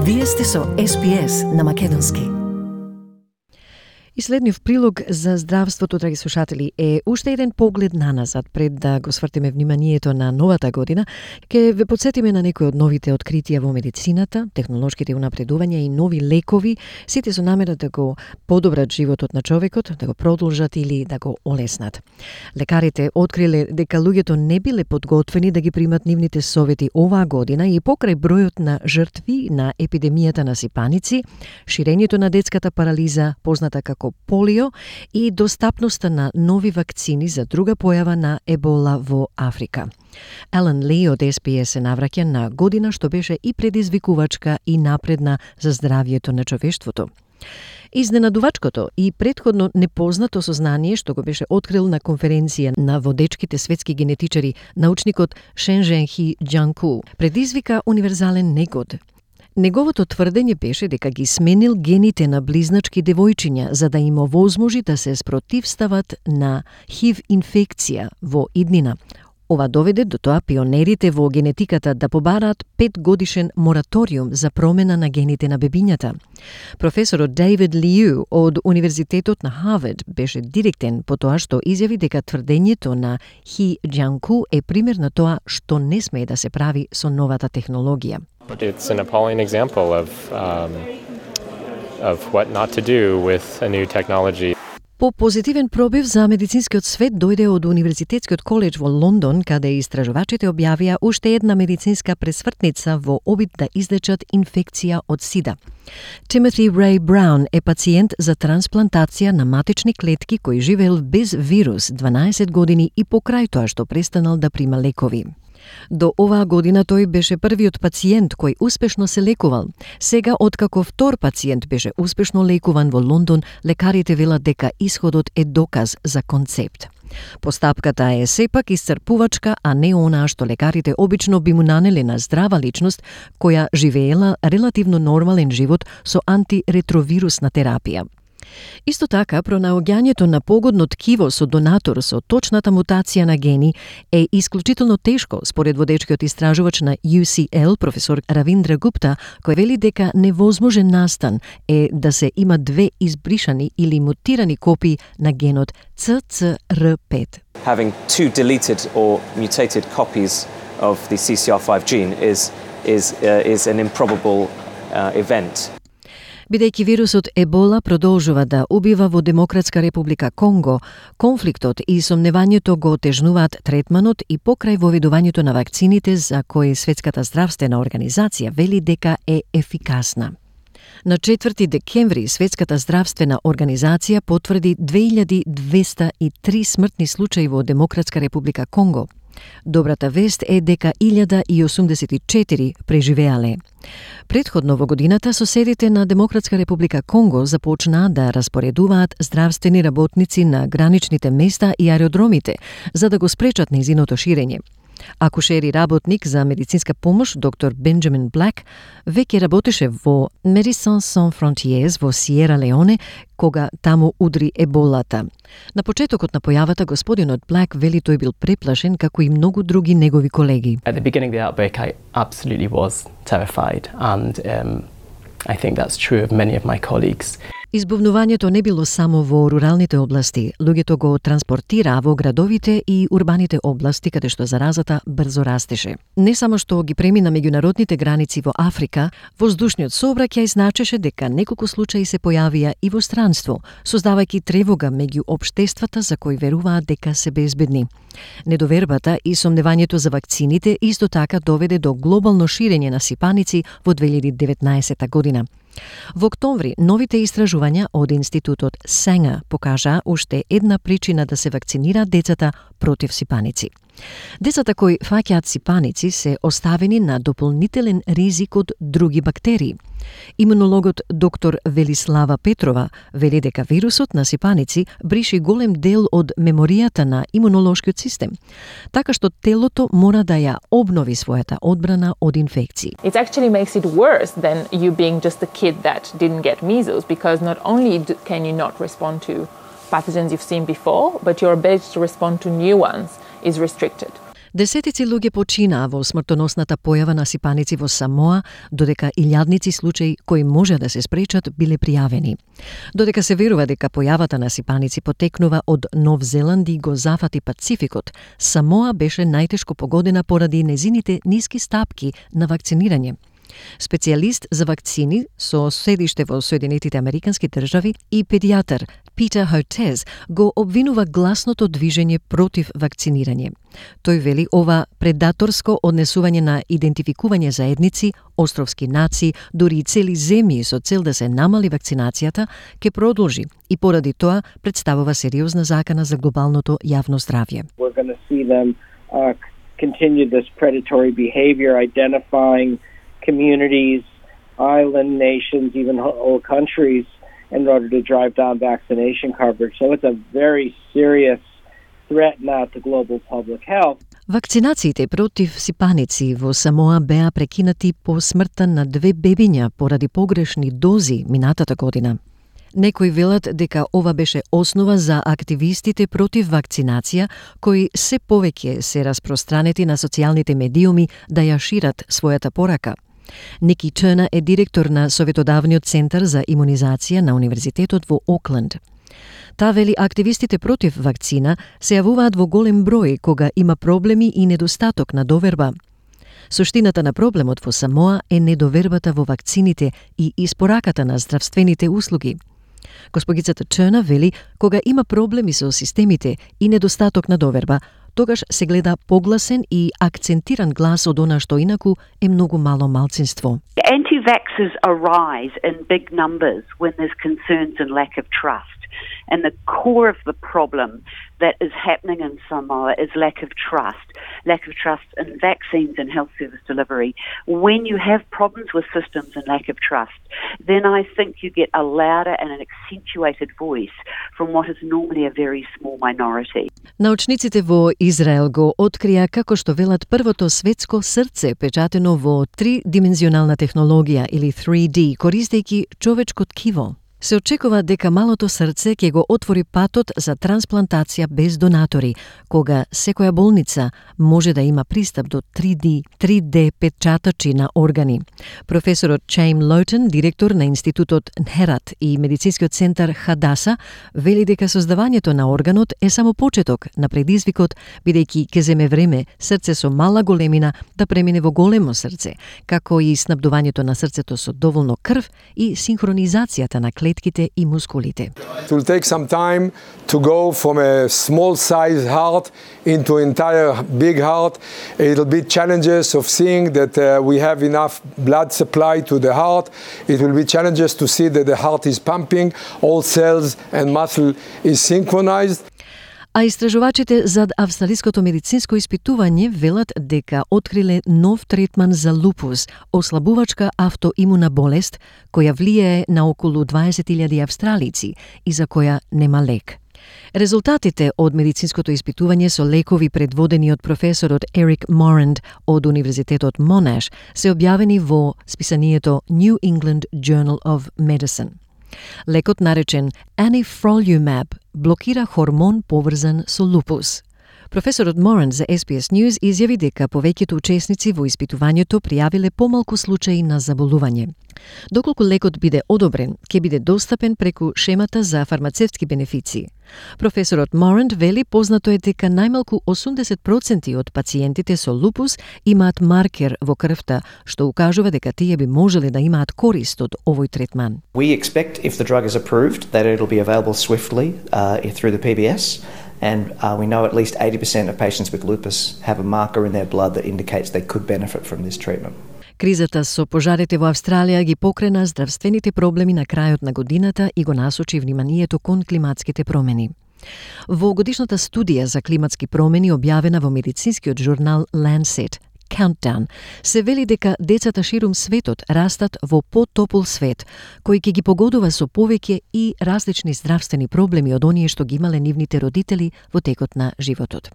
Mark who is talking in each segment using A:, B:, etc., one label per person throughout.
A: Вие сте со SPS на Македонски. И следниот прилог за здравството, драги слушатели, е уште еден поглед наназад пред да го свртиме вниманието на новата година. Ке ве подсетиме на некои од новите откритија во медицината, технолошките унапредувања и нови лекови, сите со намера да го подобрат животот на човекот, да го продолжат или да го олеснат. Лекарите откриле дека луѓето не биле подготвени да ги примат нивните совети оваа година и покрај бројот на жртви на епидемијата на сипаници, ширењето на детската парализа, позната како полио, и достапноста на нови вакцини за друга појава на ебола во Африка. Елен Ли од SPS се навраќа на година што беше и предизвикувачка и напредна за здравјето на човештвото. Изненадувачкото и претходно непознато сознание што го беше открил на конференција на водечките светски генетичари научникот Шенжен Хи Џанку предизвика универзален негод. Неговото тврдење беше дека ги сменил гените на близначки девојчиња за да им овозможи да се спротивстават на ХИВ инфекција во иднина. Ова доведе до тоа пионерите во генетиката да побараат 5-годишен мораториум за промена на гените на бебињата. Професорот Дейвид Лиу од Универзитетот на Харвард беше директен по тоа што изјави дека тврдењето на Хи Џанку е пример на тоа што не смее да се прави со новата технологија.
B: It's an appalling example of what not to do with a new technology.
A: По позитивен пробив за медицинскиот свет дојде од Универзитетскиот коледж во Лондон, каде истражувачите објавија уште една медицинска пресвртница во обид да излечат инфекција од СИДА. Тимоти Рей Браун е пациент за трансплантација на матични клетки кој живеел без вирус 12 години и покрај тоа што престанал да прима лекови. До оваа година тој беше првиот пациент кој успешно се лекувал. Сега, откако втор пациент беше успешно лекуван во Лондон, лекарите велат дека исходот е доказ за концепт. Постапката е сепак исцрпувачка, а не онаа што лекарите обично би му нанеле на здрава личност која живеела релативно нормален живот со антиретровирусна терапија. Исто така, пронаоѓањето на погодно ткиво со донатор со точната мутација на гени е исклучително тешко, според водечкиот истражувач на UCL, професор Равиндра Гупта, кој вели дека невозможен настан е да се има две избришани или мутирани копии на генот CCR5.
C: Having two deleted or mutated copies of the CCR5 gene is an improbable event.
A: Бидејќи вирусот ебола продолжува да убива во Демократска република Конго, конфликтот и сомневањето го отежнуваат третманот и покрај воведувањето на вакцините за кои Светската здравствена организација вели дека е ефикасна. На 4 декември Светската здравствена организација потврди 2203 смртни случаи во Демократска република Конго. Добрата вест е дека 1084 преживеале. Предходно во годината соседите на Демократска република Конго започнаа да распоредуваат здравствени работници на граничните места и аеродромите за да го спречат нејзиното ширење. Акушери работник за медицинска помош, доктор Бенџамин Блак, веќе работеше во Médecins Sans Frontières во Сиера Леоне, кога таму удри еболата. На почетокот на појавата, господинот Блак вели тој бил преплашен, како и многу други негови колеги.
D: At the beginning of the outbreak, I absolutely was terrified, and I think that's true of many of my colleagues.
A: Избувнувањето не било само во руралните области, луѓето го транспортираа во градовите и урбаните области каде што заразата брзо растеше. Не само што ги премина меѓународните граници во Африка, воздушниот сообраќај значеше дека неколку случаи се појавија и во странство, создавајќи тревога меѓу општествата за кои веруваат дека се безбедни. Недовербата и сомневањето за вакцините исто така доведе до глобално ширење на сипаници во 2019 година. Во октомври, новите истражувања од Институтот Сенга покажаа уште една причина да се вакцинираат децата против сипаници. Децата кои фаќаат сипаници се оставени на дополнителен ризик од други бактерии. Имунологот доктор Велислава Петрова вели дека вирусот на сипаници бриши голем дел од меморијата на имунолошкиот систем, така што телото мора да ја обнови својата одбрана од инфекции.
E: It actually makes it worse than you being just a kid that didn't get measles, because not only can you not respond to pathogens you've seen before, but your ability to respond to new ones is restricted.
A: Десетици луѓе починаа во смртоносната појава на сипаници во Самоа, додека илјадници случаи кои може да се спречат биле пријавени. Додека се верува дека појавата на сипаници потекнува од Нов Зеланд и го зафати Пацификот, Самоа беше најтешко погодена поради незините ниски стапки на вакцинирање. Специјалист за вакцини со седиште во Соединетите Американски држави и педијатар Питер Hotez го обвинува гласното движење против вакцинирање. Тој вели ова предаторско однесување на идентификување заедници, островски нации, дури и цели земји со цел да се намали вакцинацијата, ќе продолжи и поради тоа представува сериозна закана за глобалното јавно здравје.
F: We're going to see them continue this predatory behavior, identifying communities, island nations, even whole countries in order to drive down vaccination coverage. So it's a very serious threat now to global public health.
A: Вакцинациите против сипаници во Самоа беа прекинати по смртта на 2 бебиња поради погрешни дози минатата година. Некои велат дека ова беше основа за активистите против вакцинација, кои се повеќе се распространети на социјалните медиуми да ја шират својата порака. Ники Тернер е директор на Советодавниот центар за имунизација на Универзитетот во Окленд. Та вели активистите против вакцина се јавуваат во голем број кога има проблеми и недостаток на доверба. Суштината на проблемот во Самоа е недовербата во вакцините и испораката на здравствените услуги. Госпогицата Тернер вели кога има проблеми со системите и недостаток на доверба, тогаш се гледа погласен и акцентиран глас од она што инаку е многу мало малцинство.
G: Anti-vaxxers arise in big numbers when there's concerns and lack of trust. And the core of the problem that is happening in Samoa is lack of trust in vaccines and health service delivery. When you have problems with systems and lack of trust, then I think you get a louder and an accentuated voice from what is normally a very small minority.
A: Научниците во Израел го открија како што велат првото светско срце печатено во тридимензионална технологија или 3D, користејќи човечко ткиво. Се очекува дека малото срце ќе го отвори патот за трансплантација без донатори, кога секоја болница може да има пристап до 3D печатачи на органи. Професорот Чейм Лоутен, директор на Институтот Нхерат и Медицинскиот центар Хадаса, вели дека создавањето на органот е само почеток на предизвикот, бидејќи ќе земе време срце со мала големина да премине во големо срце, како и снабдувањето на срцето со доволно крв и синхронизацијата на клетките и мускулите.
H: It will take some time to go from a small size heart into an entire big heart. It'll be challenges of seeing that we have enough blood supply to the heart. It will be challenges to see that the heart is pumping, all cells and muscle is synchronized.
A: А истражувачите зад австралиското медицинско испитување велат дека откриле нов третман за лупус, ослабувачка автоимуна болест, која влијае на околу 20.000 австралици и за која нема лек. Резултатите од медицинското испитување со лекови предводени од професорот Ерик Morand од Универзитетот Монаш се објавени во списанието New England Journal of Medicine. Лекот наречен Anifrolumab блокира хормон поврзан со лупус. Професорот Моран за SBS News изјави дека повеќето учесници во испитувањето пријавиле помалку случаи на заболување. Доколку лекот биде одобрен, ќе биде достапен преку шемата за фармацевтски бенефиции. Професорот Моранд вели познато е дека најмалку 80% од пациентите со лупус имаат маркер во крвта, што укажува дека тие би можеле да имаат корист од овој третман.
I: We expect if the drug is approved that it'll be available swiftly through the PBS. And we know at least 80% of patients with lupus have a marker in their blood that indicates they could benefit from this treatment.
A: Кризата со пожарите во Австралија ги покрена здравствените проблеми на крајот на годината и го насочи вниманието кон климатските промени. Во годишната студија за климатски промени објавена во медицинскиот журнал Lancet, Countdown, се вели дека децата ширум светот растат во потопол свет, кој ќе ги погодува со повеќе и различни здравствени проблеми од оние што ги имале нивните родители во текот на животот.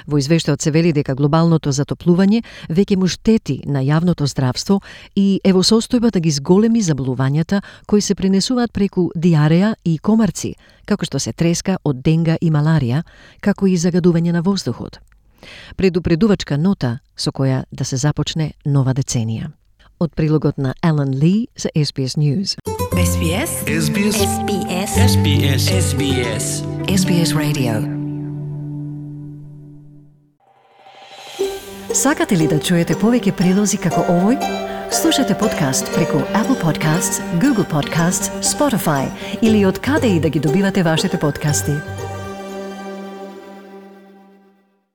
A: Во извештајот се вели дека глобалното затоплување веќе му штети на јавното здравство и е во состојба да ги зголеми заболувањата кои се пренесуваат преку диареја и комарци, како што се треска од денга и маларија, како и загадување на воздухот. Предупредувачка нота со која да се започне нова деценија. Од прилогот на Елен Ли за SBS News.
J: SBS SBS SBS SBS SBS SBS Radio.
A: Сакате ли да чуете повеќе прилози како овој? Слушате подкаст преку Apple Podcasts, Google Podcasts, Spotify или од каде и да ги добивате вашите подкасти.